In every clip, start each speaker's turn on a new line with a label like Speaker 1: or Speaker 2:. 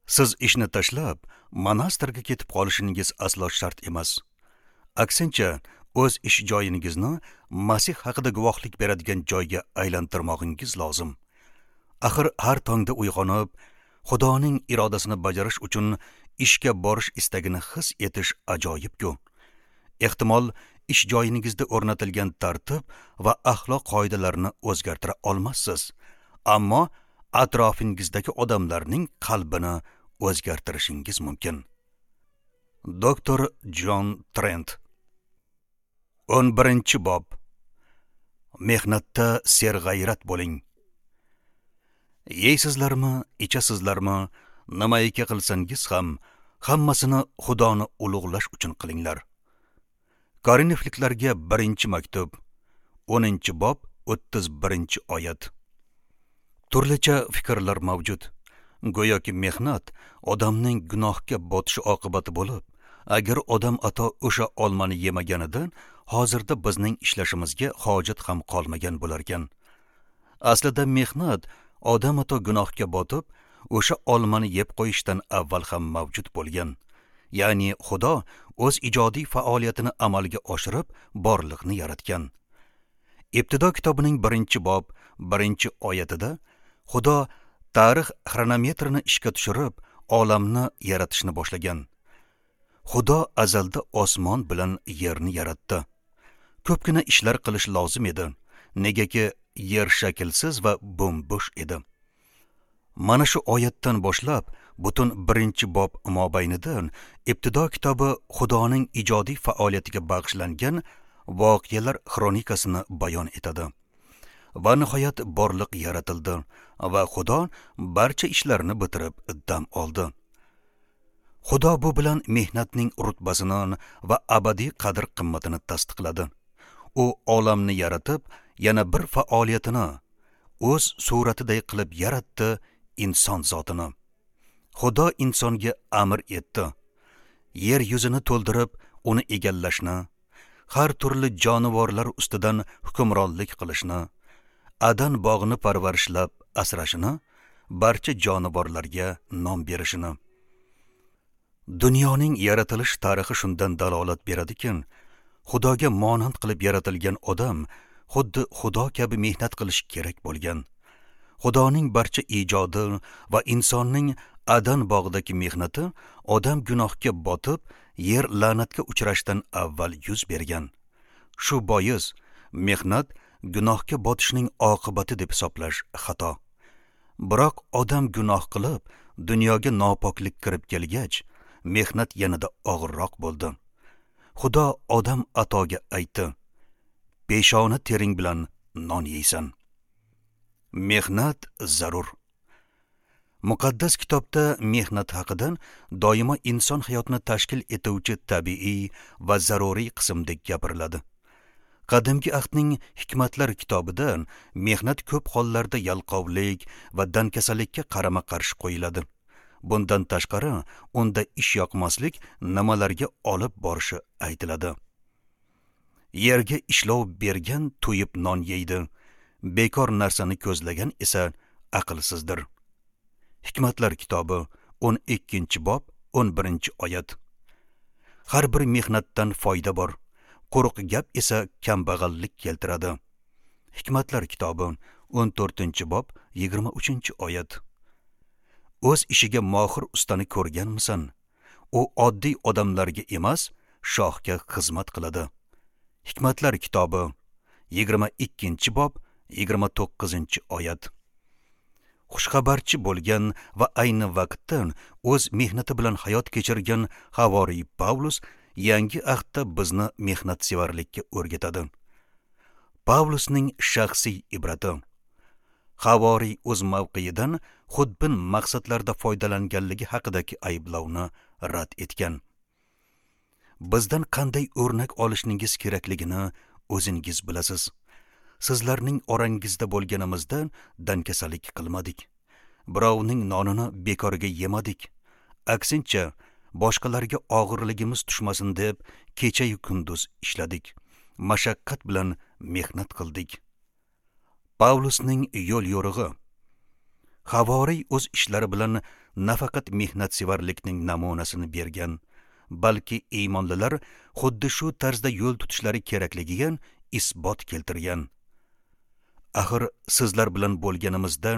Speaker 1: Siz ishni tashlab, monastirga ketib qolishingiz aslo shart emas. Aksincha, o'z ish joyingizni Masih haqida guvohlik beradigan joyga aylantirmog'ingiz lozim. Axir har tongda uyg'onib, Xudoning irodasini bajarish uchun ishga borish istagini his etish ajoyib-ku. Ehtimol, ish joyingizda o'rnatilgan tartib va axloq qoidalarini o'zgartira olmassiz, ammo atrofingizdagi odamlarning qalbini o'zgartirishingiz mumkin. Doktor Jon Trent. 11-bob. Mehnatda serg'ayrat bo'ling. Yeysizlarmi, ichasizlarmi, nimaiki qilsangiz ham, hammasini Xudoni ulug'lash uchun qilinglar. Korinfliklarga 1-maktub, 10-bob, 31-oyat. Turlicha fikrlar mavjud. Go'yoki mehnat odamning gunohga botishi oqibati bo'lib, agar odam ato o'sha olmani yemaganida, hozirda bizning ishlashimizga hojat ham qolmagan bo'larkan. Aslida mehnat odam ato gunohga botib, o'sha olmani yeb qo'yishdan avval ham mavjud bo'lgan. Ya'ni Xudo o'z ijodiy faoliyatini amalga oshirib, borliqni yaratgan. Ibtido kitobining 1-bob, 1-oyatida Xudo tarix xronometrini ishga tushirib, olamni yaratishni boshlagan. Xudo azalda osmon bilan yerni yaratdi. Ko'pgina ishlar qilish lozim edi, negaki yer shaklsiz va bo'm-bo'sh edi. Mana shu oyatdan boshlab butun 1-bob mobaynida Ibtido kitobi Xudoning ijodiy faoliyatiga bag'ishlangan voqealar xronikasini bayon etadi. Va nihoyat borliq yaratildi va Xudo barcha ishlarni bitirib dam oldi. Xudo bu bilan mehnatning rutbasini va abadiy qadr-qimmatini tasdiqladi. U olamni yaratib, yana bir faoliyatini o'z suratiday qilib yaratdi inson zotini. Xudo insonga amr etdi. Yer yuzini to'ldirib, uni egallashni, har turli jonivorlar ustidan hukmronlik qilishni, Adan bog'ini parvarishlab asrashini, barcha jonivorlarga nom berishini. Dunyoning yaratilish tarixi shundan dalolat beradiki, Xudoga monand qilib yaratilgan odam xuddi Xudo kabi mehnat qilish kerak bo'lgan. Xudoning barcha ijodi va insonning Adan bog'idagi mehnati odam gunohga botib, yer la'natga uchrashdan avval yuz bergan. Shu bois mehnat gunohga botishning oqibati deb hisoblash xato. Biroq odam gunoh qilib, dunyoga nopoklik kirib kelgach, mehnat yanada og'irroq bo'ldi. Xudo odam atoga aytdi: "Peshona tering bilan non yeysan." Mehnat zarur. Muqaddas kitobda mehnat haqida doimo inson hayotini tashkil etuvchi tabiiy va zaruriy qismdek gapiriladi. Qadimgi ahdning Hikmatlar kitobida mehnat ko'p hollarda yalqovlik va dankasalikka qarama-qarshi qo'yiladi. Bundan tashqari, unda ish yoqmaslik nimalarga olib borishi aytiladi. Yerga ishlov bergan to'yib non yeydi, bekor narsani ko'zlagan esa aqlsizdir. Hikmatlar kitobi 12-bob 11-oyat. Har bir mehnatdan foyda bor, quruq gap esa kambag'allik keltiradi. Hikmatlar kitobi 14-bob 23-oyat. O'z ishiga mohir ustani ko'rganmisan? U oddiy odamlarga emas, shohga xizmat qiladi. Hikmatlar kitobi 22-bob 29-oyat. Xushxabarchi bo'lgan va ayni vaqtda o'z mehnati bilan hayot kechirgan havoriy Pavlus yangi ahdda bizni mehnatsevarlikka o'rgatadi. Pavlusning shaxsiy ibrati. Havoriy o'z mavqeidan xudbin maqsadlarda foydalanganligi haqidagi ayblovni rad etgan. Bizdan qanday o'rnak olishningiz kerakligini o'zingiz bilasiz. Sizlarning orangizda bo'lganimizda dankasalik qilmadik. Birovning nonini bekorga yemadik. Aksincha, boshqalarga og'irligimiz tushmasin deb kecha-yu kunduz ishladik. Mashaqqat bilan mehnat qildik. Pavlusning yo'l yo'rig'i. Havoriy o'z ishlari bilan nafaqat mehnatsevarlikning namunasini bergan, balki iymonlilar xuddi shu tarzda yo'l tutishlari kerakligiga isbot keltirgan. Axir sizlar bilan bo'lganimizda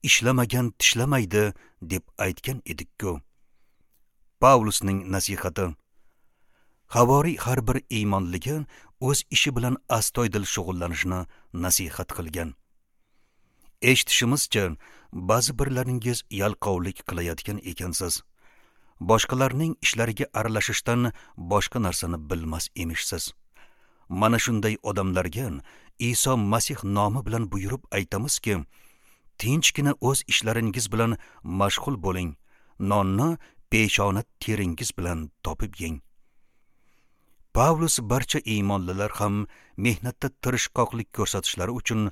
Speaker 1: ishlamagan tishlamaydi deb aytgan edik-ku. Pavlusning nasihati. Havoriy har bir iymonliga o'z ishi bilan astoydil shug'ullanishni nasihat qilgan. Eshitishimizcha, ba'zi birlaringiz yalqovlik qilayotgan ekansiz. Boshqalarning ishlariga aralashishdan boshqa narsani bilmas emishsiz. Mana shunday odamlarga Iso Masih nomi bilan buyurib aytamizki, tinchgina o'z ishlaringiz bilan mashg'ul bo'ling, nonni peshona teringiz bilan topib yeng. Pavlus barcha iymonlilar ham mehnatda tirishqoqlik ko'rsatishlari uchun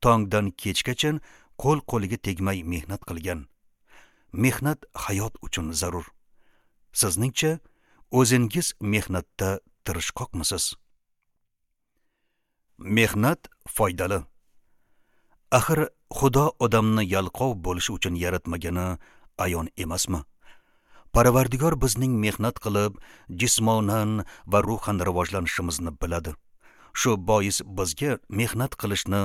Speaker 1: tongdan kechgacha qo'l qo'liga tegmay mehnat qilgan. Mehnat hayot uchun zarur. Sizningcha, o'zingiz mehnatda tirishqoqmisiz? Mehnat foydali. Axir Xudo odamni yalqov bo'lishi uchun yaratmagani ayon emasmi? Parvardigor bizning mehnat qilib, jismonan va ruhan rivojlanishimizni biladi. Shu bois bizga mehnat qilishni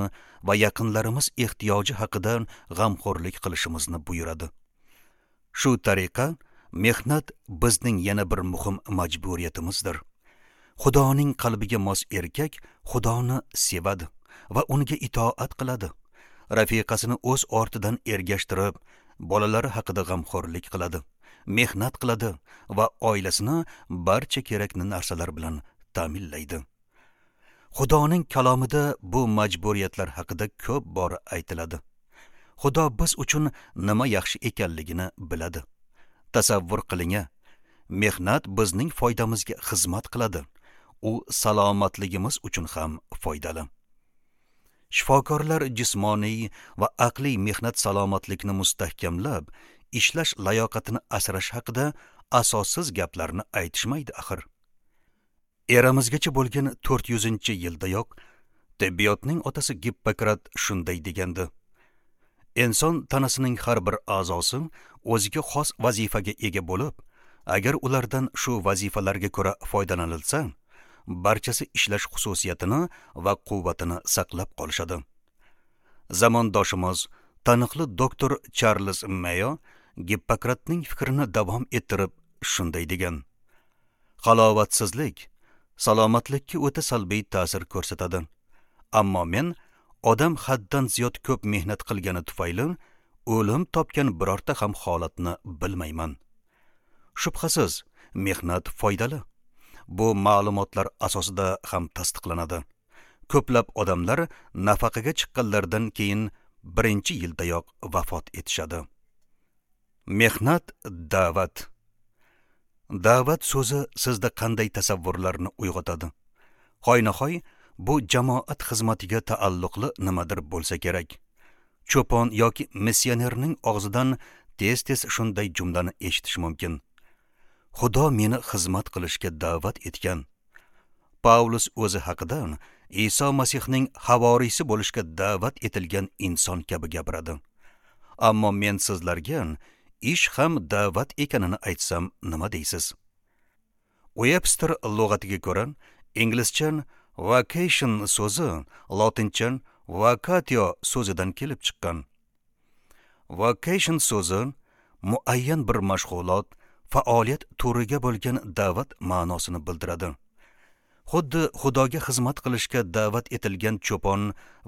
Speaker 1: va yaqinlarimiz ehtiyoji haqida g'amxo'rlik qilishimizni buyuradi. Shu tariqa mehnat bizning yana bir muhim majburiyatimizdir. Xudoning qalbiga mos erkak Xudoni sevadi va unga itoat qiladi. Rafiqasini o'z ortidan ergashtirib, bolalari haqida g'amxo'rlik qiladi, mehnat qiladi va oilasini barcha kerakli narsalar bilan ta'minlaydi. Xudoning kalomida bu majburiyatlar haqida ko'p bor aytiladi. Xudo biz uchun nima yaxshi ekanligini biladi. Tasavvur qiling, mehnat bizning foydamizga xizmat qiladi. U salomatligimiz uchun ham foydali. Shifokorlar jismoniy va aqliy mehnat salomatlikni mustahkamlab, ishlash layoqatini asrash haqida asossiz gaplarni aytishmaydi axir. Eramizgacha bo'lgan 400-yildayoq tibbiyotning otasi Gippokrat shunday degandi: inson tanasining har bir a'zosi o'ziga xos vazifaga ega bo'lib, agar ulardan shu vazifalarga ko'ra foydalanilsa, barchasi ishlash xususiyatini va quvvatini saqlab qolishadi. Zamondoshimiz taniqli doktor Charles Mayo Gippokratning fikrini davom ettirib shunday degan: halovatsizlik salomatlikka o'ta salbiy ta'sir ko'rsatadi. Ammo men odam haddan ziyod ko'p mehnat qilgani tufayli o'lim topgan birorta ham holatni bilmayman. Shubhasiz, mehnat foydali. Bu ma'lumotlar asosida ham tasdiqlanadi. Ko'plab odamlar nafaqaga chiqqanlaridan keyin birinchi yildayoq vafot etishadi. Mehnat da'vat. Da'vat so'zi sizda qanday tasavvurlarni uyg'otadi? Hoynahoy bu jamoat xizmatiga taalluqli nimadir bo'lsa kerak. Cho'pon yoki missionerning og'zidan tez-tez shunday jumlani eshitish mumkin: Xudo meni xizmat qilishga da'vat etgan. Pavlus o'zi haqida Iso Masihning havoriysi bo'lishga da'vat etilgan inson kabi gapiradi. Ammo men sizlarga ish ham da'vat ekanini aytsam nima deysiz? Webster lug'atiga ko'ra, inglizcha vacation so'zi lotincha vacatio so'zidan kelib chiqqan. Vacation so'zi muayyan bir mashg'ulot, faoliyat turiga bo'lgan da'vat ma'nosini bildiradi. Xuddi Xudoga xizmat qilishga da'vat etilgan cho'pon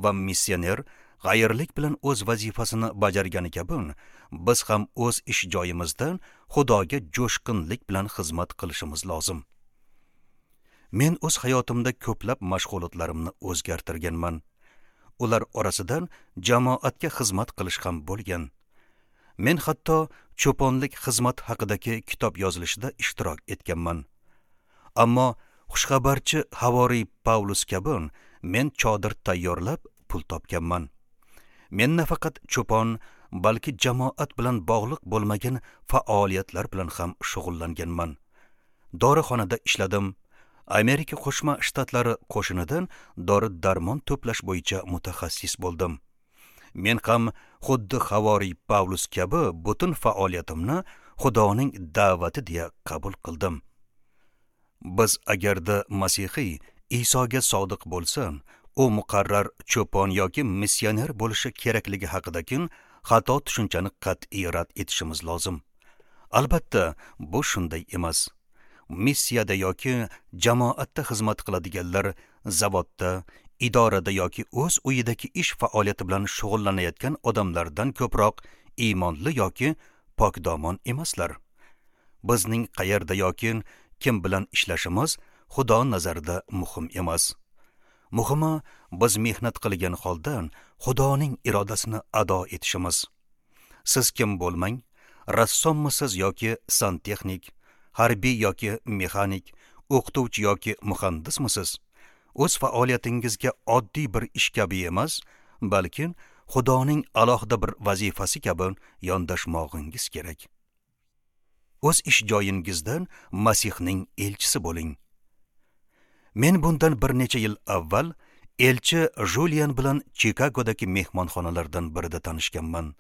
Speaker 1: va missioner g'ayirlik bilan o'z vazifasini bajargani kabi, biz ham o'z ish joyimizda Xudoga jo'shqinlik bilan xizmat qilishimiz lozim. Men o'z hayotimda ko'plab mashg'ulotlarimni o'zgartirganman. Ular orasidan jamoatga xizmat qilish ham bo'lgan. Men hatto cho'ponlik xizmat haqidagi kitob yozilishida ishtirok etganman. Ammo xushxabarchi havoriy Pavlus kabi men chodir tayyorlab pul topganman. Men nafaqat cho'pon, balki jamoat bilan bog'liq bo'lmagan faoliyatlar bilan ham shug'ullanganman. Dorixonada ishladim. Amerika Qo'shma Shtatlari qo'shinidan dori-darmon to'plash bo'yicha mutaxassis bo'ldim. Men ham xuddi havoriy Pavlus kabi butun faoliyatimni Xudoning da'vati deya qabul qildim. Biz agarda masihiy Isoga sodiq bo'lsa, u muqarrar cho'pon yoki missioner bo'lishi kerakligi haqidagi xato tushunchani qat'iy rad etishimiz lozim. Albatta, bu shunday emas. Missiyada yoki jamoatda xizmat qiladiganlar zavodda, idorada yoki o'z uyidagi ish faoliyati bilan shug'ullanayotgan odamlardan ko'proq iymonli yoki pokdomon emaslar. Bizning qayerda yoki kim bilan ishlashimiz Xudo nazarida muhim emas. Muhimi, biz mehnat qilgan holda Xudoning irodasini ado etishimiz. Siz kim bo'lmang, rassommisiz yoki santexnik, harbiy yoki mexanik, o'qituvchi yoki muhandismisiz, o'z faoliyatingizga oddiy bir ish kabi emas, balki Xudoning alohida bir vazifasi kabi yondashmog'ingiz kerak. O'z ish joyingizdan Masihning elchisi bo'ling. Men bundan bir necha yil avval elchi Julian bilan Chikagodagi mehmonxonalardan birida tanishganman.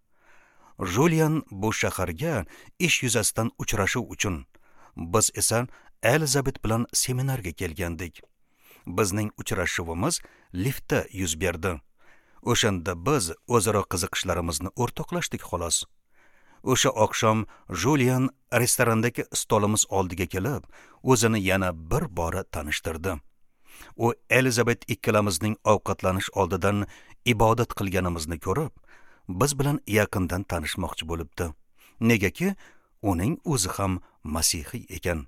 Speaker 1: Julian bu shaharga ish yuzasidan uchrashuv uchun, biz esa Elizabet bilan seminarga kelgandik. Bizning uchrashuvimiz liftda yuz berdi. O'shanda biz o'zaro qiziqishlarimizni o'rtoqlashdik xolos. O'sha oqshom Julian restorandagi stolimiz oldiga kelib, o'zini yana bir bora tanishtirdi. U Elizabet ikkalamizning ovqatlanish oldidan ibodat qilganimizni ko'rib, biz bilan yaqindan tanishmoqchi bo'libdi. Negaki uning o'zi ham masihiy ekan.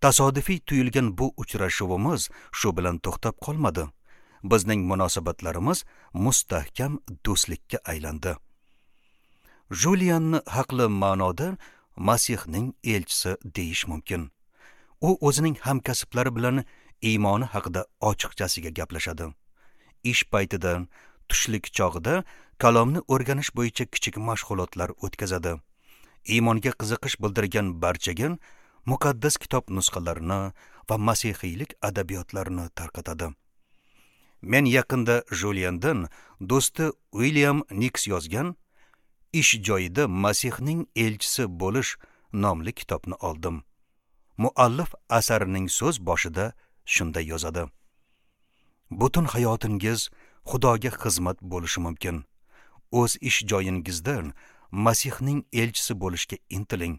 Speaker 1: Tasodifiy tuyulgan bu uchrashuvimiz shu bilan to'xtab qolmadi. Bizning munosabatlarimiz mustahkam do'stlikka aylandi. Julianni haqli ma'noda Masihning elchisi deyish mumkin. U o'zining hamkasblari bilan iymoni haqida ochiqchasiga gaplashadi. Ish paytida, tushlik chog'ida kalomni o'rganish bo'yicha kichik mashg'ulotlar o'tkazadi. Iymonga qiziqish bildirgan barchaga muqaddas kitob nusxalarini va masihiylik adabiyotlarini tarqatadi. Men yaqinda Juliandan do'sti Uilyam Niks yozgan Ish joyida Masihning elchisi bo'lish nomli kitobni oldim. Muallif asarining so'z boshida shunday yozadi: Butun hayotingiz Xudoga xizmat bo'lishi mumkin. O'z ish joyingizdan Masihning elchisi bo'lishga intiling.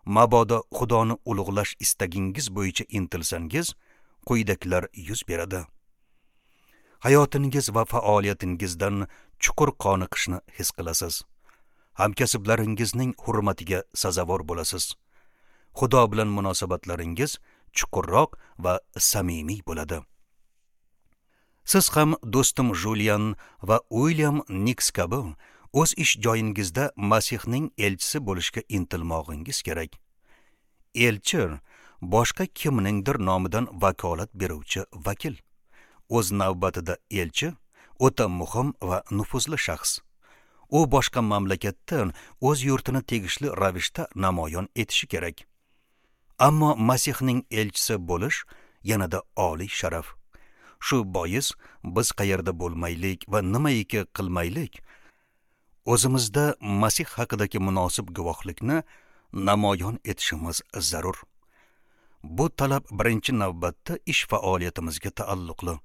Speaker 1: Mabodo Xudoni ulug'lash istagingiz bo'yicha intilsangiz, quyidagilar yuz beradi. Hayotingiz va faoliyatingizdan chuqur qoniqishni his qilasiz. Hamkasblaringizning hurmatiga sazovor bo'lasiz. Xudo bilan munosabatlaringiz chuqurroq va samimiy bo'ladi. Siz ham do'stim Julian va Uilyam Niks kabi o'z ish joyingizda Masihning elchisi bo'lishga intilmog'ingiz kerak. Elchi boshqa kimningdir nomidan vakolat beruvchi vakil. O'z navbatida elchi o'ta muhim va nufuzli shaxs. U boshqa mamlakatdan o'z yurtini tegishli ravishda namoyon etishi kerak. Ammo Masihning elchisi bo'lish yanada oliy sharaf. Shu bois biz qayerda bo'lmaylik va nimaiki qilmaylik, o'zimizda Masih haqidagi munosib guvohlikni namoyon etishimiz zarur. Bu talab birinchi navbatda ish faoliyatimizga taalluqli.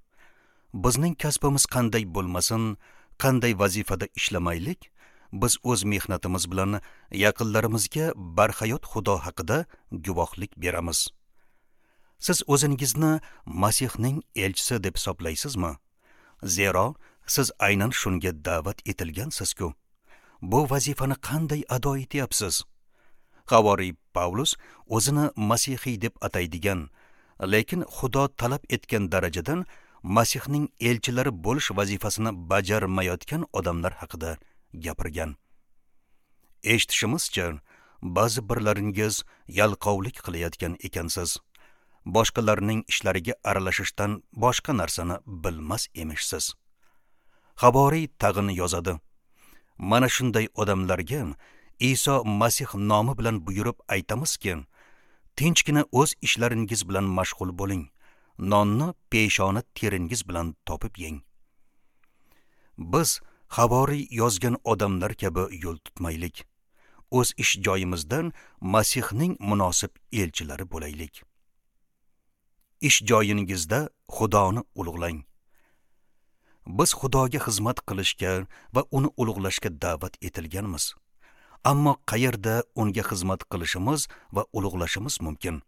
Speaker 1: Bizning kasbimiz qanday bo'lmasin, qanday vazifada ishlamaylik, biz o'z mehnatimiz bilan yaqinlarimizga barhayot Xudo haqida guvohlik beramiz. Siz o'zingizni Masihning elchisi deb hisoblaysizmi? Zero siz aynan shunga da'vat etilgansiz-ku. Bu vazifani qanday ado etyapsiz? Havoriy Pavlus o'zini masihiy deb ataydigan, lekin Xudo talab etgan darajadan Masihning elchilari bo'lish vazifasini bajarmayotgan odamlar haqida gapirgan. Eshitishimizcha, ba'zi birlaringiz yalqovlik qilayotgan ekansiz. Boshqalarning ishlariga aralashishdan boshqa narsani bilmas emishsiz. Havoriy tag'in yozadi: Mana shunday odamlarga Iso Masih nomi bilan buyurib aytamizki, tinchgina o'z ishlaringiz bilan mashg'ul bo'ling. Nonni peshona teringiz bilan topib yeng. Biz Havoriy yozgan odamlar kabi yo'l tutmaylik. O'z ish joyimizdan Masihning munosib elchilari bo'laylik. Ish joyingizda Xudoni ulug'lang. Biz Xudoga xizmat qilishga va uni ulug'lashga da'vat etilganmiz. Ammo qayerda unga xizmat qilishimiz va ulug'lashimiz mumkin?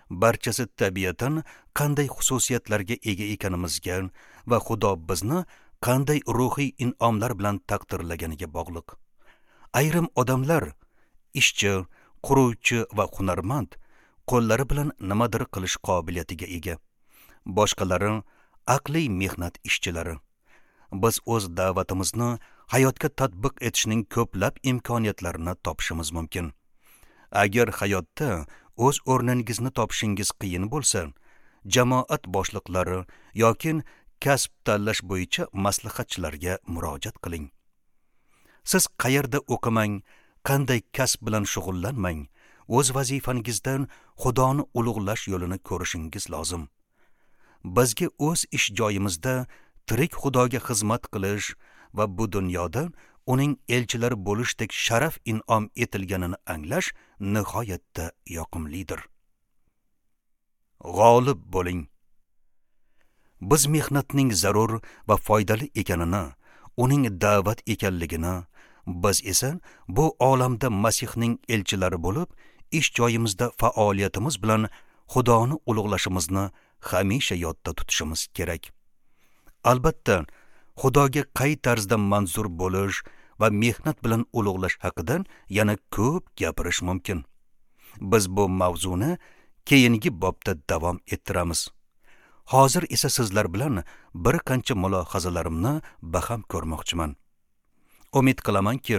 Speaker 1: Barchasi tabiatan qanday xususiyatlarga ega ekanimizga va Xudo bizni qanday ruhiy in'omlar bilan taqdirlaganiga bog'liq. Ayrim odamlar ishchi, quruvchi va hunarmand, qo'llari bilan nimadir qilish qobiliyatiga ega. Boshqalari aqliy mehnat ishchilari. Biz o'z da'vatimizni hayotga tatbiq etishning ko'plab imkoniyatlarini topishimiz mumkin. Agar hayotda o'z o'rningizni topishingiz qiyin bo'lsa, jamoat boshliqlari yoki kasb tanlash bo'yicha maslahatchilarga murojaat qiling. Siz qayerda o'qimang, qanday kasb bilan shug'ullanmang, o'z vazifangizdan Xudoni ulug'lash yo'lini ko'rishingiz lozim. Bizga o'z ish joyimizda tirik Xudoga xizmat qilish va bu dunyoda uning elchilari bo'lishdek sharaf in'om etilganini anglash nihoyatda yoqimlidir. G'olib bo'ling. Biz mehnatning zarur va foydali ekanini, uning da'vat ekanligini, biz esa bu olamda Masihning elchilari bo'lib, ish joyimizda faoliyatimiz bilan Xudoni ulug'lashimizni hamisha yodda tutishimiz kerak. Albatta, Xudoga qay tarzda manzur bo'lish va mehnat bilan ulug'lash haqida yana ko'p gapirish mumkin. Biz bu mavzuni keyingi bobda davom ettiramiz. Hozir esa sizlar bilan bir qancha mulohazalarimni baham ko'rmoqchiman. Umid qilamanki,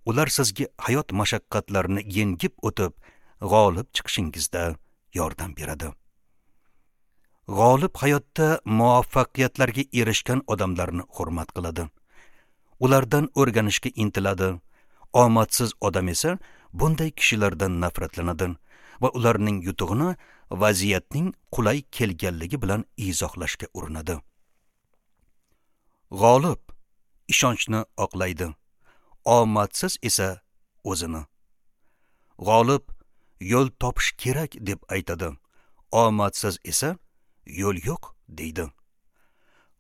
Speaker 1: ular sizga hayot mashaqqatlarini yengib o'tib, g'olib chiqishingizda yordam beradi. G'olib hayotda muvaffaqiyatlarga erishgan odamlarni hurmat qiladi. Ulardan o'rganishga intiladi. Omadsiz odam esa bunday kishilardan nafratlanadi va ularning yutug'ini vaziyatning qulay kelganligi bilan izohlashga urinadi. G'olib ishonchni oqlaydi, omadsiz esa o'zini. G'olib yo'l topish kerak deb aytadi, omadsiz esa yo'l yo'q deydi.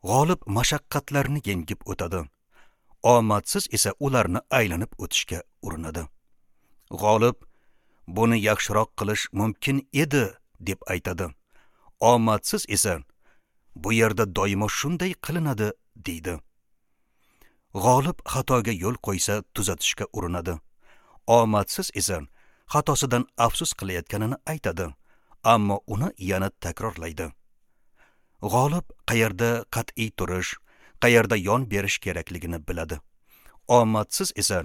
Speaker 1: G'olib mashaqqatlarni yengib o'tadi, omadsiz esa ularni aylanib o'tishga urinadi. G'olib buni yaxshiroq qilish mumkin edi deb aytadi, omadsiz esa bu yerda doimo shunday qilinadi deydi. G'olib xatoga yo'l qo'ysa tuzatishga urinadi, omadsiz esa xatosidan afsus qilayotganini aytadi, ammo uni yana takrorlaydi. G'olib qayerda qat'iy turish, qayerda yon berish kerakligini biladi. Omadsiz esa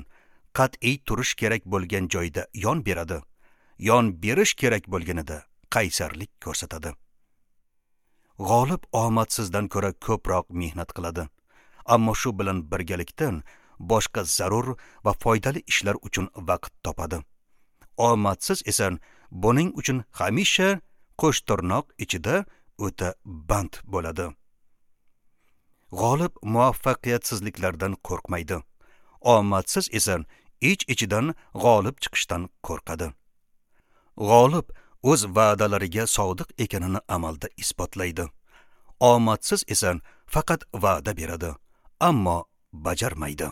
Speaker 1: qat'iy turish kerak bo'lgan joyda yon beradi, yon berish kerak bo'lganida qaysarlik ko'rsatadi. G'olib omadsizdan ko'ra ko'proq mehnat qiladi, ammo shu bilan birgalikda boshqa zarur va foydali ishlar uchun vaqt topadi. Omadsiz esa buning uchun hamisha qo'shtirnoq ichida o'ta band bo'ladi. G'olib muvaffaqiyatsizliklardan qo'rqmaydi. Omadsiz esa ich-ichidan g'olib chiqishdan qo'rqadi. G'olib o'z va'dalariga sodiq ekanini amalda isbotlaydi. Omadsiz esa faqat va'da beradi, ammo bajarmaydi.